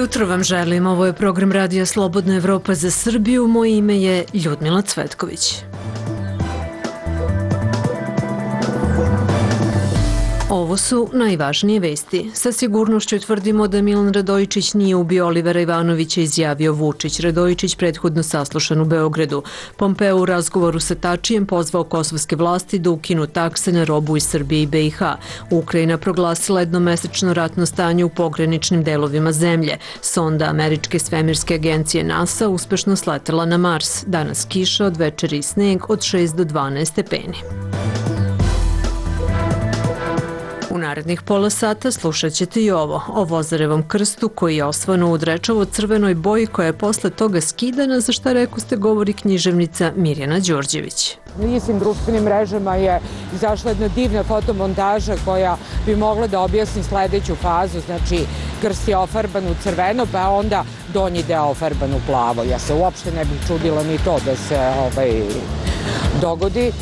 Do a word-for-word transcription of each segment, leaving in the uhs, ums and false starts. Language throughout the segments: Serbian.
jutro vam želim. Ovo je program Radija Slobodna Evropa za Srbiju. Moje ime je Ljudmila Cvetković. Ovo su najvažnije vesti. Sa sigurnošću tvrdimo da Milan Radojičić nije ubio Olivera Ivanovića, izjavio Vučić. Radojičić prethodno saslušan u Beogradu. Pompeo u razgovoru sa Tačijem pozvao kosovske vlasti da ukinu takse na robu iz Srbije i B i H. Ukrajina proglasila jednomesečno ratno stanje u pograničnim delovima zemlje. Sonda američke svemirske agencije NASA uspešno sletela na Mars. Danas kiša, od večeri i sneg od šest do dvanaest stepeni. U narednih pola sata slušat ćete i ovo, o Vozarevom krstu koji je osvano u drečavo-crvenoj boji koja je posle toga skidana, za šta rekoste govori književnica Mirjana Đorđević. Na istim društvenim mrežama je izašla jedna divna fotomontaža koja bi mogla da objasni sledeću fazu, znači krst je ofarban u crveno, pa onda donji deo ofarban u plavo. Ja se uopšte ne bih čudila ni to da se ovaj, dogodi.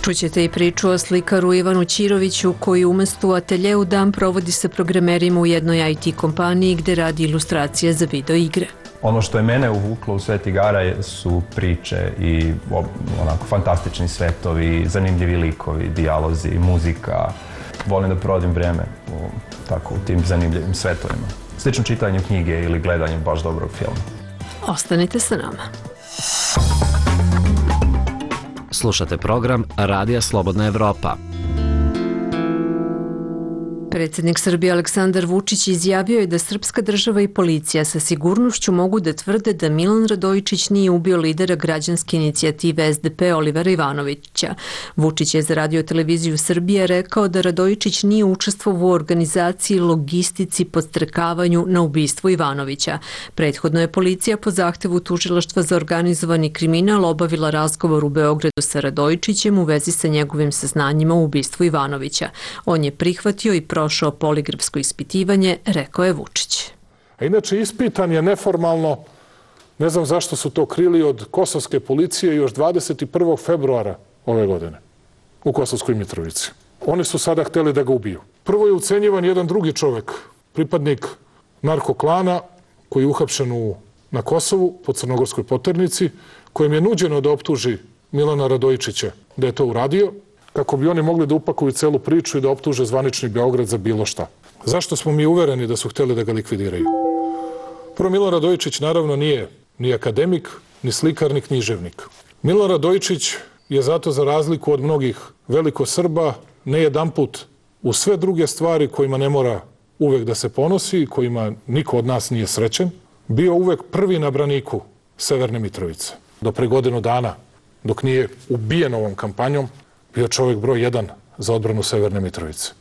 Čućete i priču o slikaru Ivanu Ćiroviću koji umesto u ateljeu dan provodi sa programerima u jednoj I T kompaniji gde radi ilustracije za video igre. Ono što je mene uvuklo u svet igara su priče i onako fantastični svetovi, zanimljivi likovi, dijalozi, muzika. Volim da provodim vreme u, tako, u tim zanimljivim svetovima. Slično čitanju knjige ili gledanju baš dobrog filma. Ostanite sa nama. Slušate program Radija Slobodna Evropa. Predsjednik Srbije Aleksandar Vučić izjavio je da srpska država i policija sa sigurnošću mogu da tvrde da Milan Radojičić nije ubio lidera građanske inicijative S D P Olivera Ivanovića. Vučić je za Radio televiziju Srbije rekao da Radojičić nije učestvovao u organizaciji, logistici, podstrekavanju na ubistvo Ivanovića. Prethodno je policija po zahtevu Tužilaštva za organizovani kriminal obavila razgovor u Beogradu sa Radojičićem u vezi sa njegovim saznanjima u ubistvu Ivanovića. On je prihvatio i prošao poligrafsko ispitivanje, rekao je Vučić. A inače, ispitan je neformalno, ne znam zašto su to krili, od kosovske policije još dvadeset prvog februara ove godine u Kosovskoj Mitrovici. Oni su sada hteli da ga ubiju. Prvo je ucenjivan jedan drugi čovek, pripadnik narkoklana, koji je uhapšen u, na Kosovu, po Crnogorskoj poternici, kojem je nuđeno da optuži Milana Radojičića da je to uradio, kako bi oni mogli da upakuju celu priču i da optuže zvanični Beograd za bilo šta. Zašto smo mi uvereni da su hteli da ga likvidiraju? Prvo, Milan Radojičić naravno nije ni akademik, ni slikar, ni književnik. Milan Radojičić je zato, za razliku od mnogih velikosrba, ne jedanput u sve druge stvari kojima ne mora uvek da se ponosi, kojima niko od nas nije srećen, bio uvek prvi na braniku Severne Mitrovice. Do pre godinu dana, dok nije ubijen ovom kampanjom, bio čovjek broj jedan za odbranu Severne Mitrovice.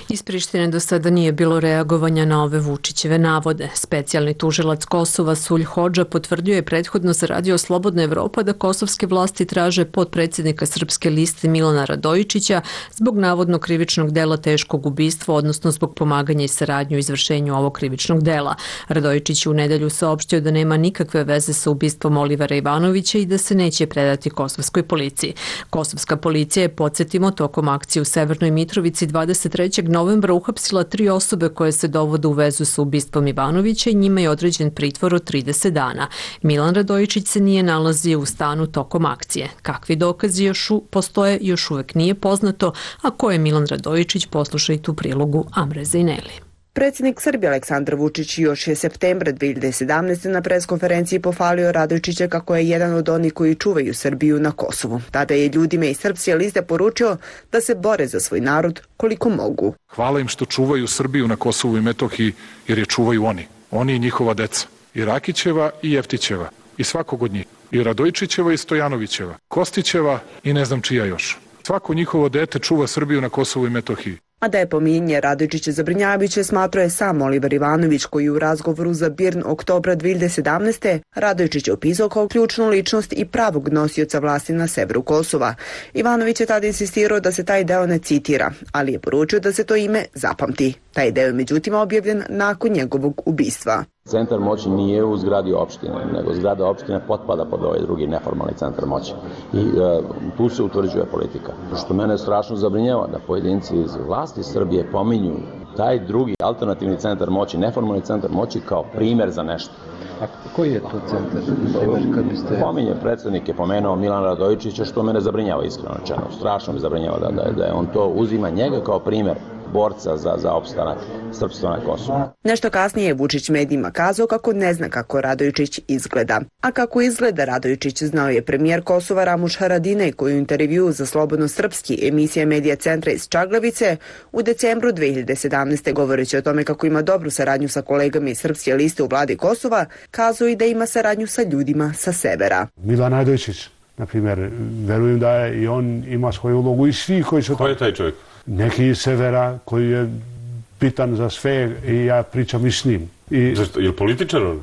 Iz Prištine do sada nije bilo reagovanja na ove Vučićeve navode. Specijalni tužilac Kosova Sulj Hodža potvrdio je prethodno za Radio Slobodna Evropa da kosovske vlasti traže potpredsjednika Srpske liste Milana Radojičića zbog navodnog krivičnog dela teškog ubistva, odnosno zbog pomaganja i saradnju u izvršenju ovog krivičnog dela. Radojičić je u nedelju saopštio da nema nikakve veze sa ubistvom Olivera Ivanovića i da se neće predati kosovskoj policiji. Kosovska policija je, podsjetimo, tokom akcije u Severnoj Mitrovici dvadeset trećeg novembra uhapsila tri osobe koje se dovode u vezu sa ubistvom Ivanovića i njima je određen pritvor od trideset dana. Milan Radojičić se nije nalazio u stanu tokom akcije. Kakvi dokazi još u, postoje još uvek nije poznato, a ko je Milan Radojičić, poslušajte u prilogu Amre Zejneli. Predsjednik Srbije Aleksandar Vučić još je septembra dve hiljade sedamnaeste. na preskonferenciji pohvalio Radojičića kako je jedan od onih koji čuvaju Srbiju na Kosovu. Tada je ljudima iz Srpske liste poručio da se bore za svoj narod koliko mogu. Hvala im što čuvaju Srbiju na Kosovu i Metohiji, jer je čuvaju oni. Oni i njihova deca. I Rakićeva i Jeftićeva. I svakog od njih. I Radojičićeva i Stojanovićeva. Kostićeva i ne znam čija još. Svako njihovo dete čuva Srbiju na Kosovu i Metohiji. A da je pominjenje Radojičića zabrinjavajuće, smatrao je sam Oliver Ivanović, koji u razgovoru za Birn oktobra dve hiljade sedamnaeste. Radojičić je opisao kao ključnu ličnost i pravog nosioca vlasti na severu Kosova. Ivanović je tada insistirao da se taj deo ne citira, ali je poručio da se to ime zapamti. Taj deo je međutim objavljen nakon njegovog ubistva. Centar moći nije u zgradi opštine, nego zgrada opštine potpada pod ovaj drugi neformalni centar moći. I e, tu se utvrđuje politika. Što mene strašno zabrinjava da pojedinci iz vlasti Srbije pominju taj drugi alternativni centar moći, neformalni centar moći kao primer za nešto. A koji je to centar? Kad biste... Pominje, predsednik je pomenuo Milana Radojičića, što mene zabrinjava iskreno rečeno. Strašno me zabrinjava da, da, da je on to uzima njega kao primer borca za, za opstanak srpstva na Kosovu. Nešto kasnije je Vučić medijima kazao kako ne zna kako Radojičić izgleda. A kako izgleda Radojičić znao je premijer Kosova Ramuš Haradinaj, koji u intervjuu za Slobodno srpski emisija Medija centra iz Čagljavice u decembru dve hiljade sedamnaeste. govoreći o tome kako ima dobru saradnju sa kolegama iz Srpske liste u vladi Kosova, kazao i da ima saradnju sa ljudima sa severa. Milan Radojičić, na primjer, verujem da je i on ima svoju ulogu i svi koji su... Ko je taj čovjek? Neki iz severa koji je bitan za sve i ja pričam i s njim. I, Zašto? Je li političar on?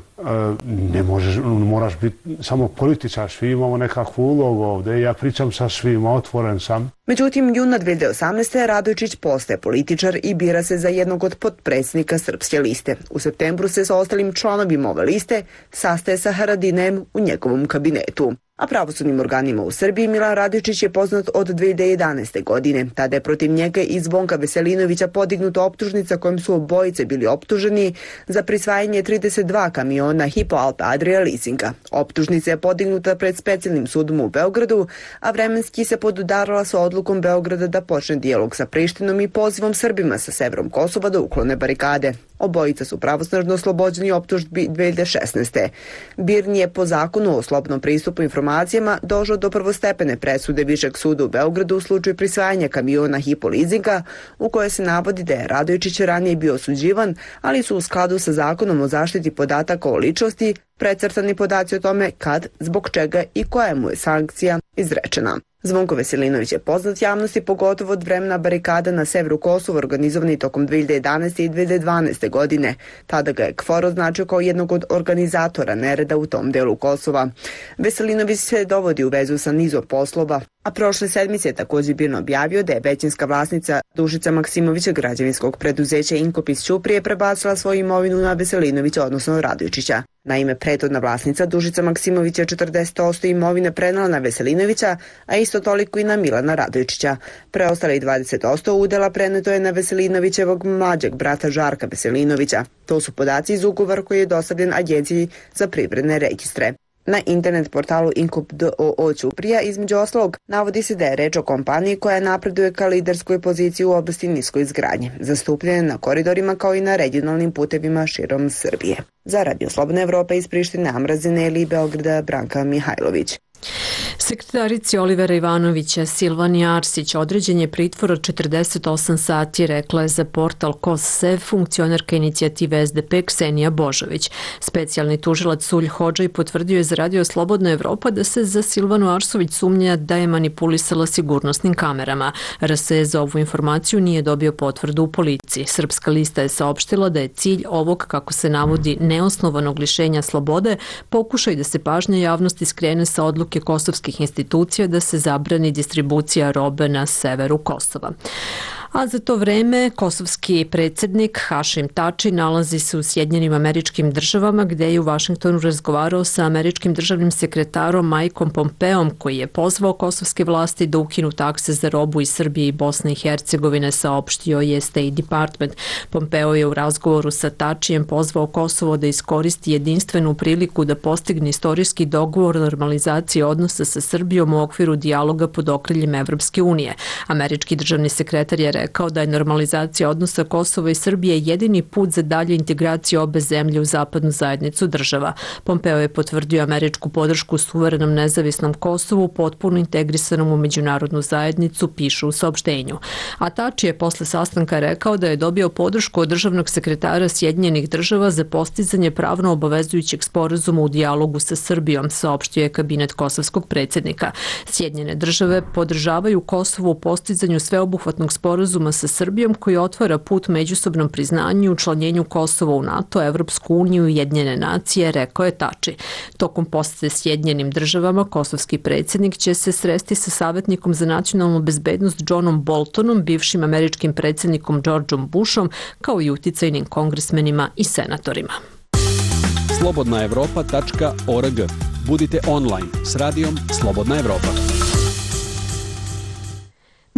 Ne možeš, moraš biti samo političar, svi imamo nekakvu ulogu ovdje i ja pričam sa svima, otvoren sam. Međutim, juna dve hiljade osamnaeste. Radojičić postaje političar i bira se za jednog od potpredsjednika Srpske liste. U septembru se sa ostalim članovima ove liste sastaje sa Haradinajem u njegovom kabinetu. A pravosudnim organima u Srbiji Milan Radojičić je poznat od dve hiljade jedanaeste. godine. Tada je protiv njega i Zvonka Veselinovića podignuta optužnica kojom su obojice bili optuženi za prisvajanje trideset dva kamiona Hypo Alpe Adria leasinga. Optužnica je podignuta pred specijalnim sudom u Beogradu, a vremenski se podudarala sa odlukom Beograda da počne dijalog sa Prištinom i pozivom Srbima sa severom Kosova da uklone barikade. Obojica su pravosnažno oslobođeni optužbi dve hiljade šesnaeste. Birn je po zakonu o slobodnom pristupu informacijama došao do prvostepene presude Višeg suda u Beogradu u slučaju prisvajanja kamiona Hypo leasinga, u kojoj se navodi da je Radojičić ranije bio osuđivan, ali su u skladu sa zakonom o zaštiti podataka o ličnosti precrtani podaci o tome kad, zbog čega i koja mu je sankcija izrečena. Zvonko Veselinović je poznat javnosti pogotovo od vremena barikada na severu Kosova organizovani tokom dve hiljade jedanaeste. i dve hiljade dvanaeste. godine. Tada ga je K F O R označio kao jednog od organizatora nereda u tom delu Kosova. Veselinović se dovodi u vezu sa nizom poslova, a prošle sedmice je također Birn objavio da je većinska vlasnica Dušica Maksimovića građevinskog preduzeća Inkop iz Ćuprije prebacila svoju imovinu na Veselinovića, odnosno Radojičića. Naime, prethodna vlasnica Dušica Maksimovića četrdeset posto imovine prenala na Veselinovića, a isto toliko i na Milana Radojičića. Preostali dvadeset posto udela preneto je na Veselinovićevog mlađeg brata Žarka Veselinovića. To su podaci iz ugovora koji je dostavljen Agenciji za privredne registre. Na internet portalu Inkop d o o Ćuprija, između ostalog, navodi se da je reč o kompaniji koja napreduje ka liderskoj poziciji u oblasti niskoj izgradnje, zastupljene na koridorima kao i na regionalnim putevima širom Srbije. Za Radio Slobodna Evropa iz Prištine, Amra Zineli i Beograda, Branka Mihajlović. Sekretarici Olivera Ivanovića Silvani Arsić određen je pritvor od četrdeset osam sati, rekla je za portal KOS-SEV funkcionerka inicijative S D P Ksenija Božović. Specijalni tužilac Sulj Hodžaj potvrdio je za Radio Slobodna Evropa da se za Silvanu Arsović sumnja da je manipulisala sigurnosnim kamerama. R S E za ovu informaciju nije dobio potvrdu u policiji. Srpska lista je saopštila da je cilj ovog, kako se navodi, neosnovanog lišenja slobode pokušaj da se pažnja javnosti skrene sa odluke kosovskih institucija da se zabrani distribucija robe na severu Kosova. A za to vreme kosovski predsjednik Hašim Tači nalazi se u Sjedinjenim Američkim Državama, gde je u Vašingtonu razgovarao sa američkim državnim sekretarom Mikeom Pompeom, koji je pozvao kosovske vlasti da ukinu takse za robu iz Srbije i Bosne i Hercegovine, saopštio je State Department. Pompeo je u razgovoru sa Tačijem pozvao Kosovo da iskoristi jedinstvenu priliku da postigne istorijski dogovor o normalizaciji odnosa sa Srbijom u okviru dijaloga pod okriljem Evropske unije. Američki državni sekretar je rekao da je normalizacija odnosa Kosova i Srbije jedini put za dalje integraciju obe zemlje u zapadnu zajednicu država. Pompeo je potvrdio američku podršku suverenom nezavisnom Kosovu, potpuno integrisanom u međunarodnu zajednicu, pišu u saopštenju. A Tači je posle sastanka rekao da je dobio podršku od državnog sekretara Sjedinjenih država za postizanje pravno obavezujućeg sporazuma u dijalogu sa Srbijom, saopštio je kabinet kosovskog predsjednika. Sjedinjene države podržavaju Kosovo u postizanju sveobuhvatnog sporazuma sa Srbijom koji otvara put međusobnom priznanju i učlanjenju Kosova u NATO, Evropsku uniju i Ujedinjene nacije, rekao je Tači. Tokom posete Sjedinjenim državama, kosovski predsjednik će se sresti sa savjetnikom za nacionalnu bezbednost Johnom Boltonom, bivšim američkim predsjednikom Georgeom Bushom, kao i uticajnim kongresmenima i senatorima. slobodna evropa tačka org. Budite online s radijom Slobodna Evropa.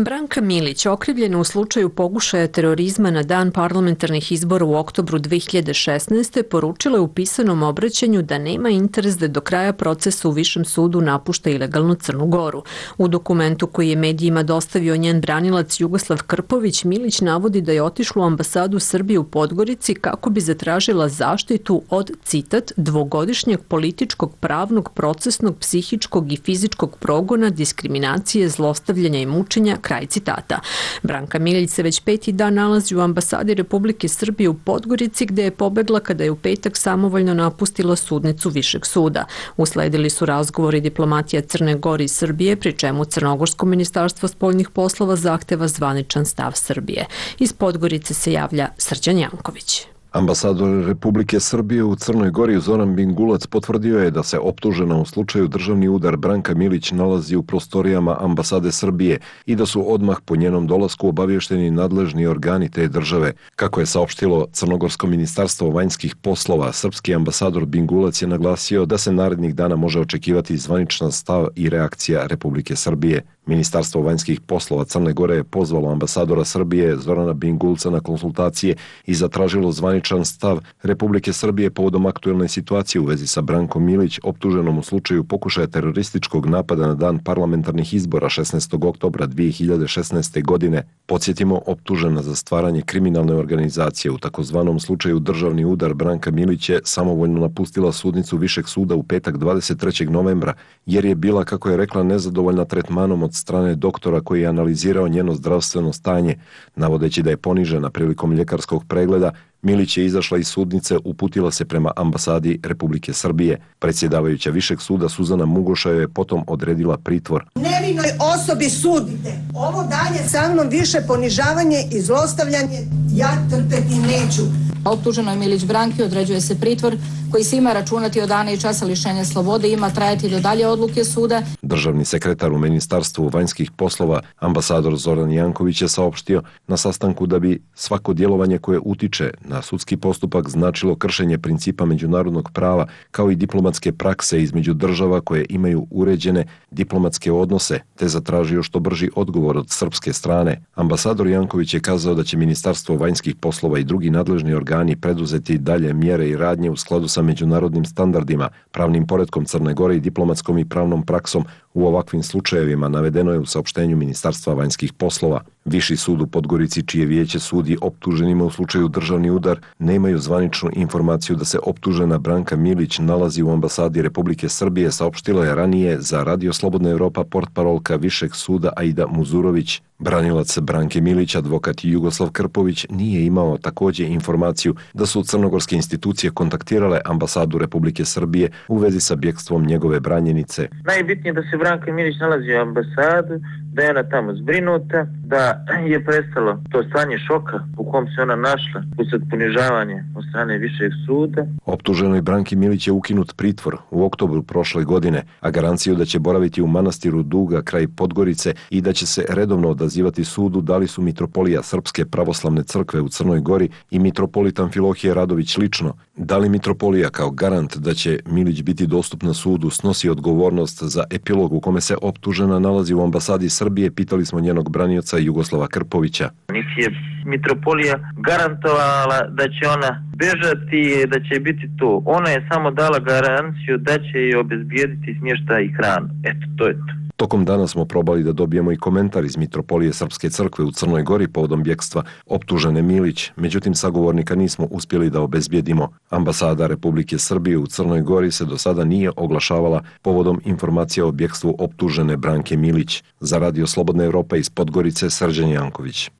Branka Milić, okrivljena u slučaju pokušaja terorizma na dan parlamentarnih izbora u oktobru dve hiljade šesnaeste. poručila je u pisanom obraćanju da nema interes da do kraja procesa u Višem sudu napušta ilegalno Crnu Goru. U dokumentu koji je medijima dostavio njen branilac Jugoslav Krpović, Milić navodi da je otišla u ambasadu Srbije u Podgorici kako bi zatražila zaštitu od, citat, dvogodišnjeg političkog, pravnog, procesnog, psihičkog i fizičkog progona, diskriminacije, zlostavljanja i mučenja, kraj citata. Branka Milić se već peti dan nalazi u ambasadi Republike Srbije u Podgorici, gde je pobegla kada je u petak samovoljno napustila sudnicu Višeg suda. Usledili su razgovori diplomatija Crne Gore i Srbije, pri čemu Crnogorsko ministarstvo spoljnih poslova zahteva zvaničan stav Srbije. Iz Podgorice se javlja Srđan Janković. Ambasador Republike Srbije u Crnoj Gori Zoran Bingulac potvrdio je da se optužena u slučaju državni udar Branka Milić nalazi u prostorijama ambasade Srbije i da su odmah po njenom dolasku obavješteni nadležni organi te države. Kako je saopštilo Crnogorsko ministarstvo vanjskih poslova, srpski ambasador Bingulac je naglasio da se narednih dana može očekivati zvaničan stav i reakcija Republike Srbije. Ministarstvo vanjskih poslova Crne Gore je pozvalo ambasadora Srbije Zorana Bingulca na konsultacije i zatražilo zvaničan stav Republike Srbije povodom aktuelne situacije u vezi sa Brankom Milić, optuženom u slučaju pokušaja terorističkog napada na dan parlamentarnih izbora šesnaestog oktobra dve hiljade šesnaeste. godine. Podsjetimo, optužena za stvaranje kriminalne organizacije u takozvanom slučaju državni udar Branka Milić je samovoljno napustila sudnicu Višeg suda u petak dvadeset trećeg novembra, jer je bila, kako je rekla, nezadovoljna tretmanom od strane doktora koji je analizirao njeno zdravstveno stanje, navodeći da je ponižena prilikom ljekarskog pregleda. Milić je izašla iz sudnice, uputila se prema ambasadi Republike Srbije. Predsjedavajuća Višeg suda Suzana Mugoša je potom odredila pritvor. Nevinoj osobi sudite. Ovo dalje sa mnom više ponižavanje i zlostavljanje ja trpeti neću. Optuženoj Milić Branki određuje se pritvor koji se ima računati od dana i časa lišenja slobode i ima trajati do dalje odluke suda. Državni sekretar u Ministarstvu vanjskih poslova, ambasador Zoran Janković, je saopštio na sastanku da bi svako djelovanje koje utiče na sudski postupak značilo kršenje principa međunarodnog prava kao i diplomatske prakse između država koje imaju uređene diplomatske odnose, te zatražio što brži odgovor od srpske strane. Ambasador Janković je kazao da će Ministarstvo vanjskih poslova i drugi nadležni organi preduzeti dalje mjere i radnje u skladu sa međunarodnim standardima, pravnim poretkom Crne Gore i diplomatskom i pravnom praksom u ovakvim slučajevima, navedeno je u saopštenju Ministarstva vanjskih poslova. Viši sud u Podgorici, čije vijeće sudi optuženima u slučaju državni udar, nemaju zvaničnu informaciju da se optužena Branka Milić nalazi u ambasadi Republike Srbije, saopštila je ranije za Radio Slobodna Evropa portparolka Višeg suda Aida Muzurović. Branilac Branke Milić, advokat Jugoslav Krpović, nije imao također informaciju da su crnogorske institucije kontaktirale ambasadu Republike Srbije u vezi sa bjegstvom njegove branjenice. Najbitnije je da se Branka Milić nalazi u ambasadu, da je ona tamo zbrinuta, da je prestalo to stanje šoka u kom se ona našla usred ponižavanja od strane Višeg suda. Optuženoj Branki Milić je ukinut pritvor u oktobru prošle godine, a garanciju da će boraviti u manastiru Duga kraj Podgorice i da će se redovno odazivati sudu dali su mitropolija Srpske pravoslavne crkve u Crnoj Gori i mitropolit Amfilohije Radović lično. Da li mitropolija kao garant da će Milić biti dostupna sudu snosi odgovornost za epilog u kome se optužena nalazi u ambasadi Srbije, pitali smo njenog branioca Jugoslava Krpovića. Niti je mitropolija garantovala da će ona bežati, da će biti to. Ona je samo dala garanciju da će joj obezbijediti smještaj i hranu. Eto, to je to. Tokom dana smo probali da dobijemo i komentar iz mitropolije Srpske crkve u Crnoj Gori povodom bjekstva optužene Milić, međutim sagovornika nismo uspjeli da obezbijedimo. Ambasada Republike Srbije u Crnoj Gori se do sada nije oglašavala povodom informacija o bjekstvu optužene Branke Milić. Za Radio Slobodna Evropa iz Podgorice, Srđan Janković.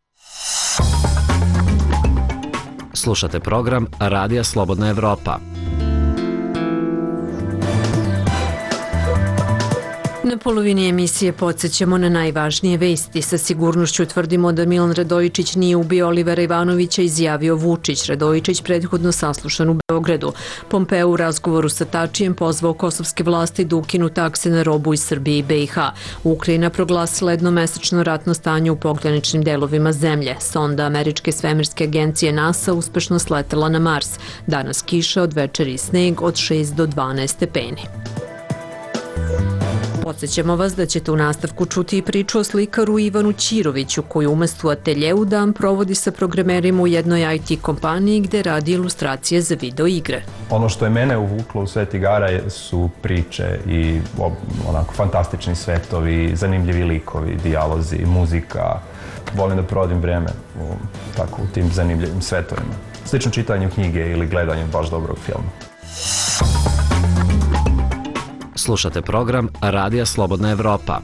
Slušate program Radija Slobodna Evropa. Na polovini emisije podsjećamo na najvažnije vesti. Sa sigurnošću tvrdimo da Milan Radojičić nije ubio Olivera Ivanovića, izjavio Vučić. Radojičić prethodno saslušan u Beogradu. Pompeo u razgovoru sa Tačijem pozvao kosovske vlasti da ukinu takse na robu iz Srbije i be i ha. Ukrajina proglasila jednomesečno ratno stanje u pograničnim delovima zemlje. Sonda američke svemirske agencije NASA uspešno sletela na Mars. Danas kiša, od večeri sneg od šest do dvanaest stepeni. Podsećamo vas da ćete u nastavku čuti i priču o slikaru Ivanu Ćiroviću, koji umesto u ateljeu dan provodi sa programerima u jednoj I T kompaniji gde radi ilustracije za video igre. Ono što je mene uvuklo u svet igara su priče i onako fantastični svetovi, zanimljivi likovi, dijalozi, muzika. Volim da provodim vreme u, tako, u tim zanimljivim svetovima. Slično čitanju knjige ili gledanjem baš dobrog filma. Slušate program Radija Slobodna Evropa.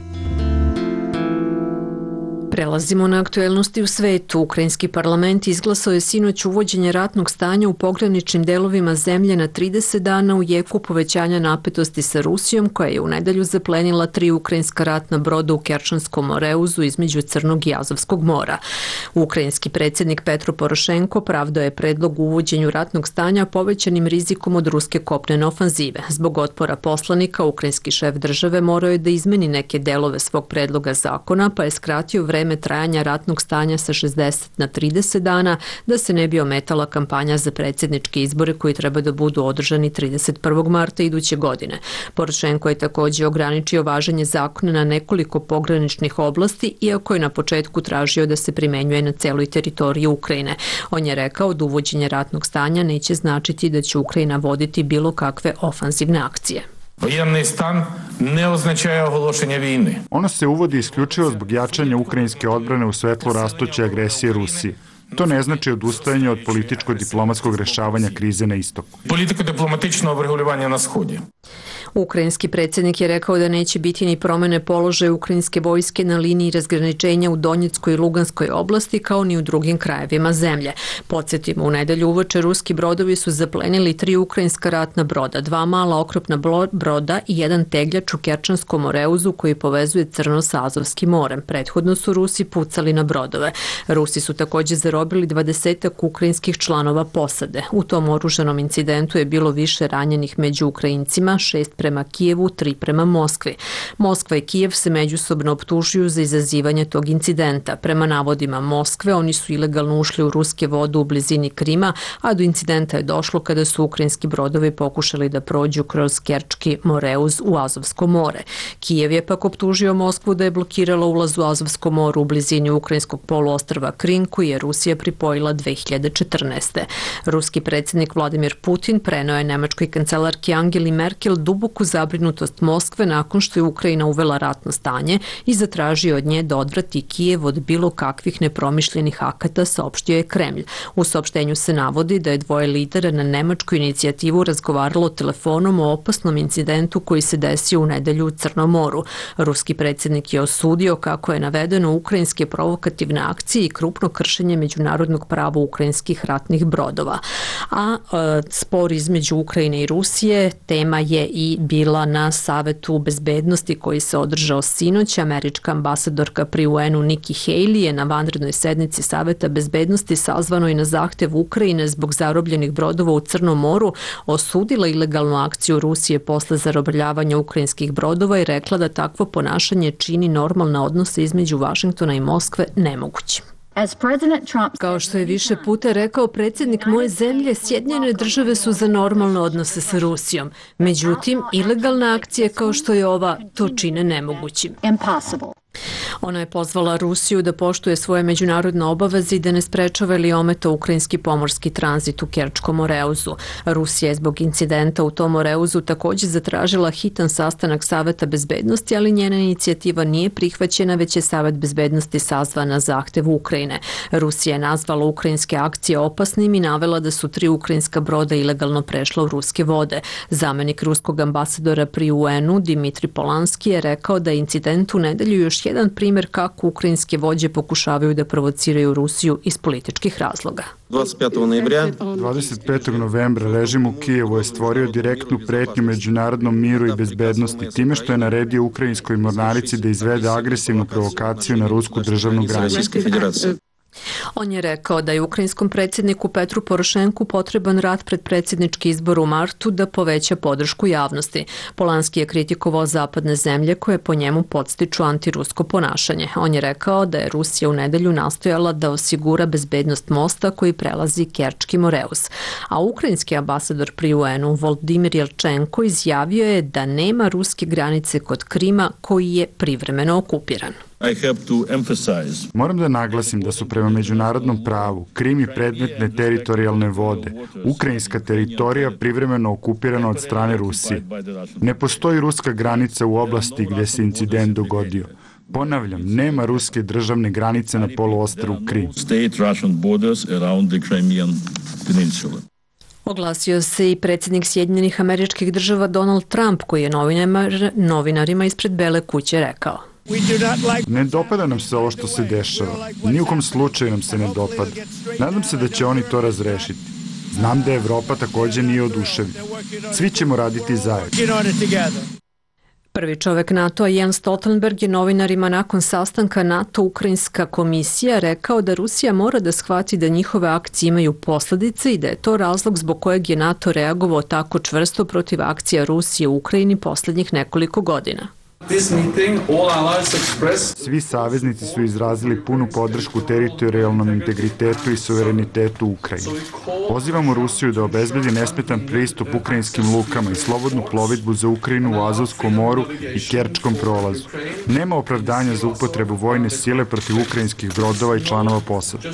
Prelazimo na aktuelnosti u svetu. Ukrajinski parlament izglasao je sinoć uvođenje ratnog stanja u pograničnim delovima zemlje na trideset dana u jeku povećanja napetosti sa Rusijom, koja je u nedelju zaplenila tri ukrajinska ratna broda u Kerčanskom moreuzu između Crnog i Azovskog mora. Ukrajinski predsjednik Petro Porošenko pravdao je predlog u uvođenju ratnog stanja povećanim rizikom od ruske kopnene ofanzive. Zbog otpora poslanika, ukrajinski šef države morao je da izmeni neke delove svog predloga zakona, pa je skratio vreme trajanja ratnog stanja sa šezdeset na trideset dana, da se ne bi ometala kampanja za predsjedničke izbore koji treba da budu održani trideset prvog marta iduće godine. Porošenko je također ograničio važenje zakona na nekoliko pograničnih oblasti, iako je na početku tražio da se primenjuje na celoj teritoriji Ukrajine. On je rekao da uvođenje ratnog stanja neće značiti da će Ukrajina voditi bilo kakve ofanzivne akcije. Воєнний стан не означає оголошення війни. Ono se uvodi isključivo zbog jačanja ukrajinske odbrane u svetlu rastuće agresije Rusije. To ne znači odustajanje od političko-diplomatskog rešavanja krize na istoku. Політико-дипломатичного врегулювання на Сході. Ukrajinski predsjednik je rekao da neće biti ni promene položaja ukrajinske vojske na liniji razgraničenja u Donjeckoj i Luganskoj oblasti, kao ni u drugim krajevima zemlje. Podsjetimo, u nedelju uveče ruski brodovi su zaplenili tri ukrajinska ratna broda, dva mala oklopna broda i jedan tegljač u Kerčanskom moreuzu koji povezuje Crno sa Azovskim morem. Prethodno su Rusi pucali na brodove. Rusi su također zarobili dvadesetak ukrajinskih članova posade. U tom oružanom incidentu je bilo više ranjenih među Ukrajincima, šest prema Kijevu, tri prema Moskvi. Moskva i Kijev se međusobno optužuju za izazivanje tog incidenta. Prema navodima Moskve, oni su ilegalno ušli u ruske vode u blizini Krima, a do incidenta je došlo kada su ukrajinski brodovi pokušali da prođu kroz Kerčki moreuz u Azovsko more. Kijev je pak optužio Moskvu da je blokirala ulaz u Azovsko more u blizini ukrajinskog poluostrva Krim, koji je Rusija pripojila dve hiljade četrnaeste. Ruski predsjednik Vladimir Putin preneo je nemačkoj kancelarki Angeli Merkel duboku zabrinutost Moskve nakon što je Ukrajina uvela ratno stanje i zatražio od nje da odvrati Kijev od bilo kakvih nepromišljenih akata, saopštio je Kremlj. U saopštenju se navodi da je dvoje lidera na nemačku inicijativu razgovaralo telefonom o opasnom incidentu koji se desio u nedelju u Crnom moru. Ruski predsjednik je osudio, kako je navedeno, ukrajinske provokativne akcije i krupno kršenje međunarodnog prava ukrajinskih ratnih brodova. A e, spor između Ukrajine i Rusije tema je i bila na Savetu bezbednosti koji se održao sinoć. Američka ambasadorka pri U N-u Nikki Haley je na vanrednoj sednici Saveta bezbednosti, sazvanoj na zahtev Ukrajine zbog zarobljenih brodova u Crnom moru, osudila ilegalnu akciju Rusije posle zarobljavanja ukrajinskih brodova i rekla da takvo ponašanje čini normalne odnose između Vašingtona i Moskve nemogućim. Kao što je više puta rekao predsjednik moje zemlje, Sjedinjene države su za normalne odnose sa Rusijom. Međutim, ilegalne akcije kao što je ova to čine nemogućim. Ona je pozvala Rusiju da poštuje svoje međunarodne obaveze i da ne sprečava ili ometa ukrajinski pomorski tranzit u Kerčkom moreuzu. Rusija je zbog incidenta u tom moreuzu također zatražila hitan sastanak Saveta bezbednosti, ali njena inicijativa nije prihvaćena, već je Savet bezbednosti sazvan na zahtev Ukrajine. Rusija je nazvala ukrajinske akcije opasnim i navela da su tri ukrajinska broda ilegalno prešla u ruske vode. Zamenik ruskog ambasadora pri U N-u Dimitri Polanski je rekao da je incident u nedelju još jedan primjer kako ukrajinske vođe pokušavaju da provociraju Rusiju iz političkih razloga. dvadeset petog novembra režim u Kijevu je stvorio direktnu pretnju međunarodnom miru i bezbednosti time što je naredio ukrajinskoj mornarici da izvede agresivnu provokaciju na rusku državnu granicu. On je rekao da je ukrajinskom predsjedniku Petru Porošenku potreban rat pred predsjednički izbor u martu da poveća podršku javnosti. Polanski je kritikovao zapadne zemlje koje po njemu podstiču antirusko ponašanje. On je rekao da je Rusija u nedelju nastojala da osigura bezbednost mosta koji prelazi Kerčki Moreus. A ukrajinski ambasador pri U N-u Volodimir Jelčenko izjavio je da nema ruske granice kod Krima koji je privremeno okupiran. Moram da naglasim da su prema međunarodnom pravu Krim i predmetne teritorijalne vode, ukrajinska teritorija privremeno okupirana od strane Rusije. Ne postoji ruska granica u oblasti gde se incident dogodio. Ponavljam, nema ruske državne granice na poluostrvu Krim. Oglasio se i predsjednik Sjedinjenih Američkih Država Donald Trump, koji je novinarima ispred Bele kuće rekao: Ne dopada nam se ovo što se dešava. Ni u kom slučaju nam se ne dopada. Nadam se da će oni to razrešiti. Znam da Evropa također nije oduševljena. Svi ćemo raditi zajedno. Prvi čovek NATO-a Jens Stoltenberg je novinarima nakon sastanka NATO-Ukrajinska komisija rekao da Rusija mora da shvati da njihove akcije imaju posljedice i da je to razlog zbog kojeg je NATO reagovao tako čvrsto protiv akcija Rusije u Ukrajini posljednjih nekoliko godina. Svi saveznici su izrazili punu podršku teritorijalnom integritetu i suverenitetu Ukrajine. Pozivamo Rusiju da obezbedi nesmetan pristup ukrajinskim lukama i slobodnu plovidbu za Ukrajinu u Azovskom moru i Kerčkom prolazu. Nema opravdanja za upotrebu vojne sile protiv ukrajinskih brodova i članova posade.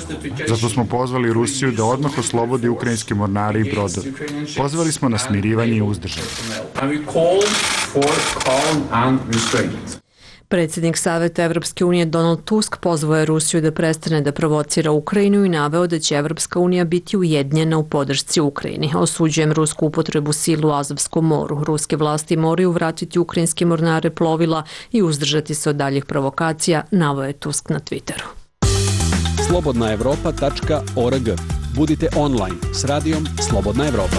Zato smo pozvali Rusiju da odmah oslobodi ukrajinske mornare i brodove. Pozvali smo na smirivanje i uzdržanje. Predsjednik Saveta Evropske unije Donald Tusk pozvao je Rusiju da prestane da provocira Ukrajinu i naveo da će Evropska unija biti ujedinjena u podršci Ukrajini. Osuđujem rusku upotrebu sile u Azovskom moru. Ruske vlasti moraju vratiti ukrajinske mornare plovila i uzdržati se od daljih provokacija, naveo je Tusk na Twitteru. slobodna evropa tačka org. Budite online s radijom Slobodna Evropa.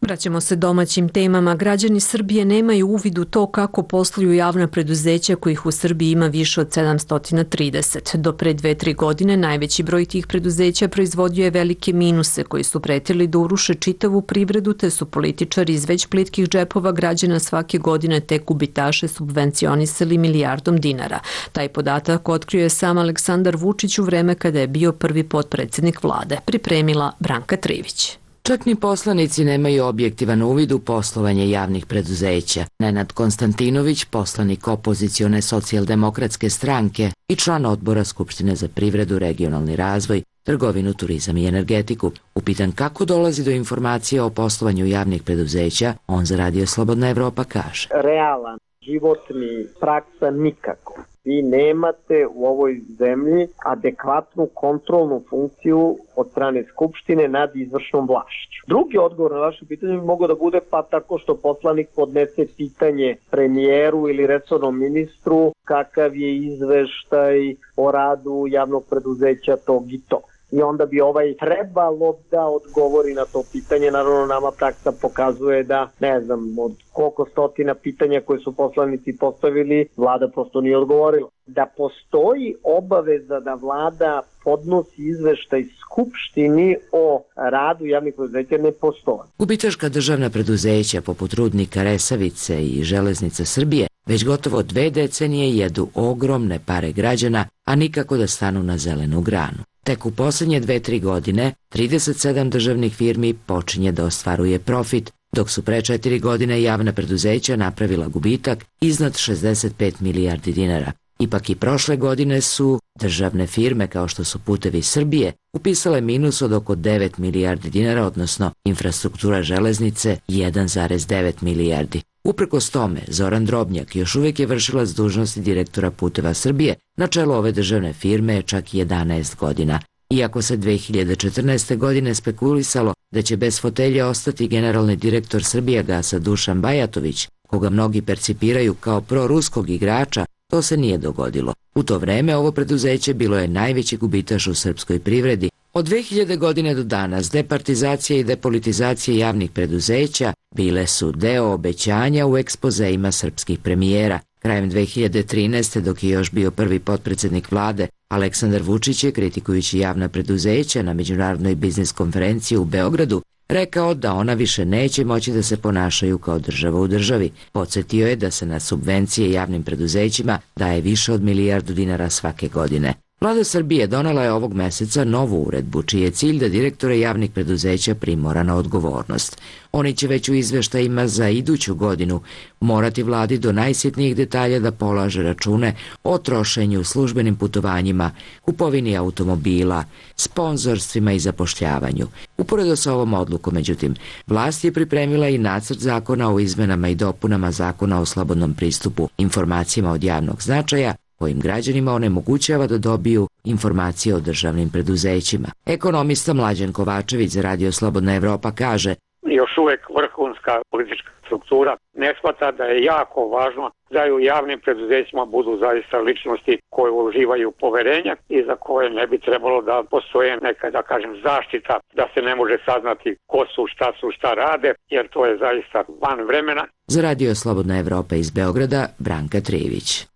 Vraćamo se domaćim temama. Građani Srbije nemaju uvid u to kako posluju javna preduzeća kojih u Srbiji ima više od sedamsto trideset. Do pre dve, tri godine najveći broj tih preduzeća proizvodio je velike minuse koji su pretili da uruše čitavu privredu, te su političari iz već plitkih džepova građana svake godine te gubitaše subvencionisali milijardom dinara. Taj podatak otkrio je sam Aleksandar Vučić u vreme kada je bio prvi potpredsjednik vlade. Pripremila Branka Trivić. Čak ni poslanici nemaju objektivan uvid u poslovanje javnih preduzeća. Nenad Konstantinović, poslanik opozicione socijaldemokratske stranke i član odbora Skupštine za privredu, regionalni razvoj, trgovinu, turizam i energetiku. Upitan kako dolazi do informacije o poslovanju javnih preduzeća, on za Radio Slobodna Evropa kaže: Realan, životni, praksa nikako. Vi nemate u ovoj zemlji adekvatnu kontrolnu funkciju od strane Skupštine nad izvršnom vlašću. Drugi odgovor na vaše pitanje bi mogao da bude pa tako što poslanik podnese pitanje premijeru ili resornom ministru kakav je izveštaj o radu javnog preduzeća tog i to. I onda bi ovaj trebalo da odgovori na to pitanje. Naravno, nama praksa pokazuje da, ne znam, od koliko stotina pitanja koje su poslanici postavili, vlada prosto nije odgovorila. Da postoji obaveza da vlada podnosi izveštaj Skupštini o radu javnih preduzeća, ne postoji. Gubitaška državna preduzeća poput Rudnika Resavice i Železnica Srbije već gotovo dve decenije jedu ogromne pare građana, a nikako da stanu na zelenu granu. Tek u posljednje dve, tri godine trideset sedam državnih firmi počinje da ostvaruje profit, dok su pre četiri godine javna preduzeća napravila gubitak iznad šezdeset pet milijardi dinara. Ipak i prošle godine su državne firme kao što su Putevi Srbije upisale minus od oko devet milijardi dinara, odnosno infrastruktura železnice jedan zarez devet milijardi. Uprkos tome, Zoran Drobnjak još uvijek je vršilac dužnosti direktora Puteva Srbije na čelu ove državne firme čak jedanaest godina. Iako se dve hiljade četrnaeste. godine spekulisalo da će bez fotelje ostati generalni direktor Srbijagasa Dušan Bajatović, koga mnogi percipiraju kao proruskog igrača, to se nije dogodilo. U to vreme ovo preduzeće bilo je najveći gubitaš u srpskoj privredi. Od dve hiljade. godine do danas departizacija i depolitizacija javnih preduzeća bile su deo obećanja u ekspozeima srpskih premijera. Krajem dve hiljade trinaeste. dok je još bio prvi potpredsednik vlade, Aleksandar Vučić je, kritikujući javna preduzeća na međunarodnoj biznis konferenciji u Beogradu, rekao da ona više neće moći da se ponašaju kao država u državi. Podsjetio je da se na subvencije javnim preduzećima daje više od milijardu dinara svake godine. Vlada Srbije donela je ovog meseca novu uredbu, čiji je cilj da direktore javnih preduzeća primora na odgovornost. Oni će već u izveštajima za iduću godinu morati vladi do najsitnijih detalja da polaže račune o trošenju, službenim putovanjima, kupovini automobila, sponzorstvima i zapošljavanju. Uporedo sa ovom odlukom, međutim, vlast je pripremila i nacrt zakona o izmenama i dopunama zakona o slobodnom pristupu informacijama od javnog značaja, kojim građanima onemogućava da dobiju informacije o državnim preduzećima. Ekonomista Mlađan Kovačević za Radio Slobodna Evropa kaže: još uvek vrhunska politička struktura ne shvata da je jako važno da i u javnim preduzećima budu zaista ličnosti koje uživaju poverenja i za koje ne bi trebalo da postoje neka, da kažem, zaštita da se ne može saznati ko su, šta su, šta rade, jer to je zaista van vremena. Za Radio Slobodna Evropa iz Beograda, Branka Trijević.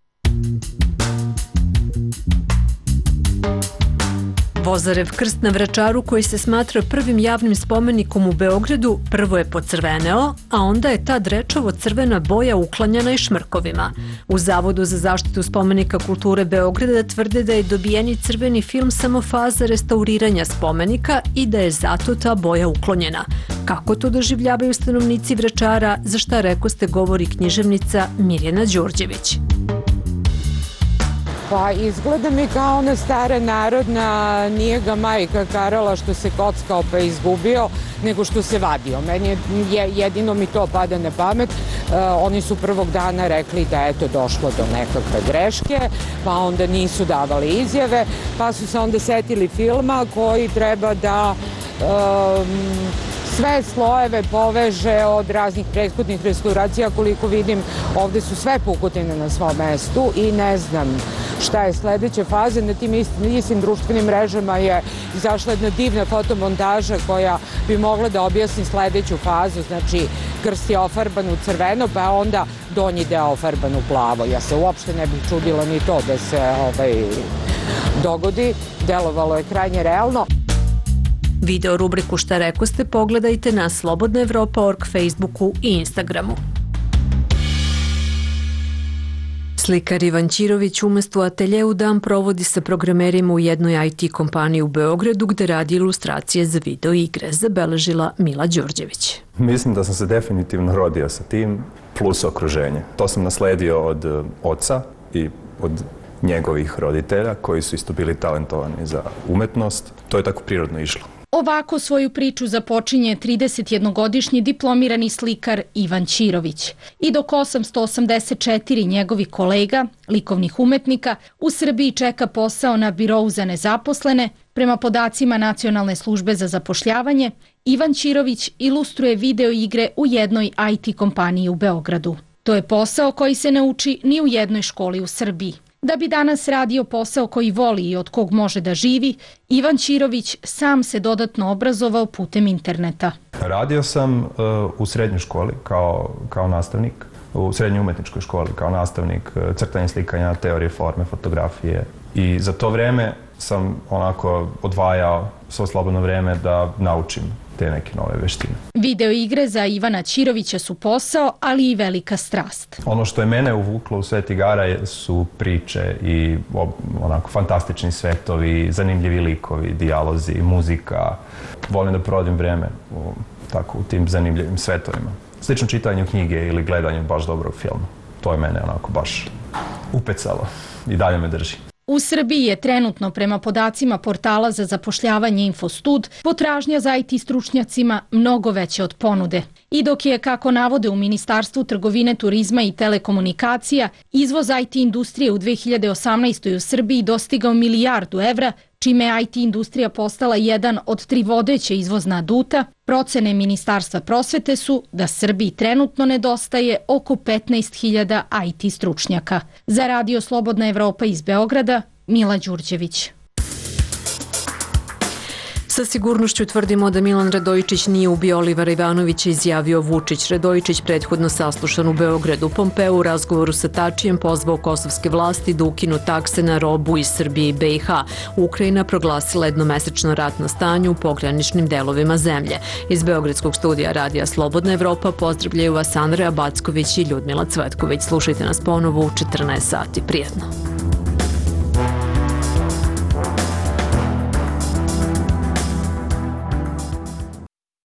Vozarev krst na Vračaru, koji se smatra prvim javnim spomenikom u Beogradu, prvo je pocrveneo, a onda je ta drečavo crvena boja uklanjana i šmrkovima. U Zavodu za zaštitu spomenika kulture Beograda tvrde da je dobijeni crveni film samo faza restauriranja spomenika i da je zato ta boja uklonjena. Kako to doživljavaju stanovnici Vračara, za šta rekoste govori književnica Mirjana Đorđević. Pa izgleda mi kao ona stara narodna, nije ga majka karala što se kockao pa izgubio, nego što se vadio. Meni je, jedino mi to pada na pamet. E, oni su prvog dana rekli da je to došlo do nekakve greške, pa onda nisu davali izjave, pa su se onda setili filma koji treba da e, sve slojeve poveže od raznih prethodnih restauracija. Koliko vidim, ovde su sve pukotine na svom mestu i ne znam šta je sledeća faza. Na tim istim, istim društvenim mrežama je izašla jedna divna fotomontaža koja bi mogla da objasni sledeću fazu. Znači, krst je ofarban u crveno, pa onda donji deo ofarban u plavo. Ja se uopšte ne bih čudila ni to da se ovaj, dogodi. Delovalo je krajnje realno. Video rubriku Šta rekoste pogledajte na slobodna evropa tačka org, Facebooku i Instagramu. Slikar Ivan Ćirović umesto u ateljeu dan provodi sa programerima u jednoj I T kompaniji u Beogradu gde radi ilustracije za video igre, zabeležila Mila Đorđević. Mislim da sam se definitivno rodio sa tim, plus okruženje. To sam nasledio od oca i od njegovih roditelja koji su isto bili talentovani za umetnost. To je tako prirodno išlo. Ovako svoju priču započinje tridesetjednogodišnji diplomirani slikar Ivan Ćirović. I dok osamsto osamdeset četiri njegovih kolega, likovnih umetnika, u Srbiji čeka posao na birou za nezaposlene, prema podacima Nacionalne službe za zapošljavanje, Ivan Ćirović ilustruje video igre u jednoj I T kompaniji u Beogradu. To je posao koji se ne uči ni u jednoj školi u Srbiji. Da bi danas radio posao koji voli i od kog može da živi, Ivan Ćirović sam se dodatno obrazovao putem interneta. Radio sam uh, u srednjoj školi kao, kao nastavnik, u srednjoj umetničkoj školi kao nastavnik uh, crtanja, slikanja, teorije forme, fotografije. I za to vreme sam onako odvajao svo slobodno vreme da naučim te neke nove veštine. Video igre za Ivana Ćirovića su posao, ali i velika strast. Ono što je mene uvuklo u svet igara su priče i onako fantastični svetovi, zanimljivi likovi, dijalozi, muzika. Volim da provodim vreme u, tako, u tim zanimljivim svetovima. Slično čitanju knjige ili gledanju baš dobrog filma. To je mene onako baš upecalo i dalje me drži. U Srbiji je trenutno, prema podacima portala za zapošljavanje Infostud, potražnja za I T stručnjacima mnogo veća od ponude. I dok je, kako navode u Ministarstvu trgovine, turizma i telekomunikacija, izvoz I T industrije u dve hiljade osamnaestoj. u Srbiji dostigao milijardu evra, čime je I T industrija postala jedan od tri vodeće izvozna aduta, procene Ministarstva prosvete su da Srbiji trenutno nedostaje oko petnaest hiljada I T stručnjaka. Za Radio Slobodna Evropa iz Beograda, Mila Đurđević. Sa sigurnošću tvrdimo da Milan Radojičić nije ubio Olivera Ivanovića, izjavio Vučić. Radojičić, prethodno saslušan u Beogradu. Pompeo u razgovoru sa Tačijem pozvao kosovske vlasti da ukinu takse na robu iz Srbije i B i H. Ukrajina proglasila jednomesečno ratno stanje u pograničnim delovima zemlje. Iz Beogradskog studija Radija Slobodna Evropa pozdravljaju vas Andreja Backović i Ljudmila Cvetković. Slušajte nas ponovo u četrnaest sati. Prijetno.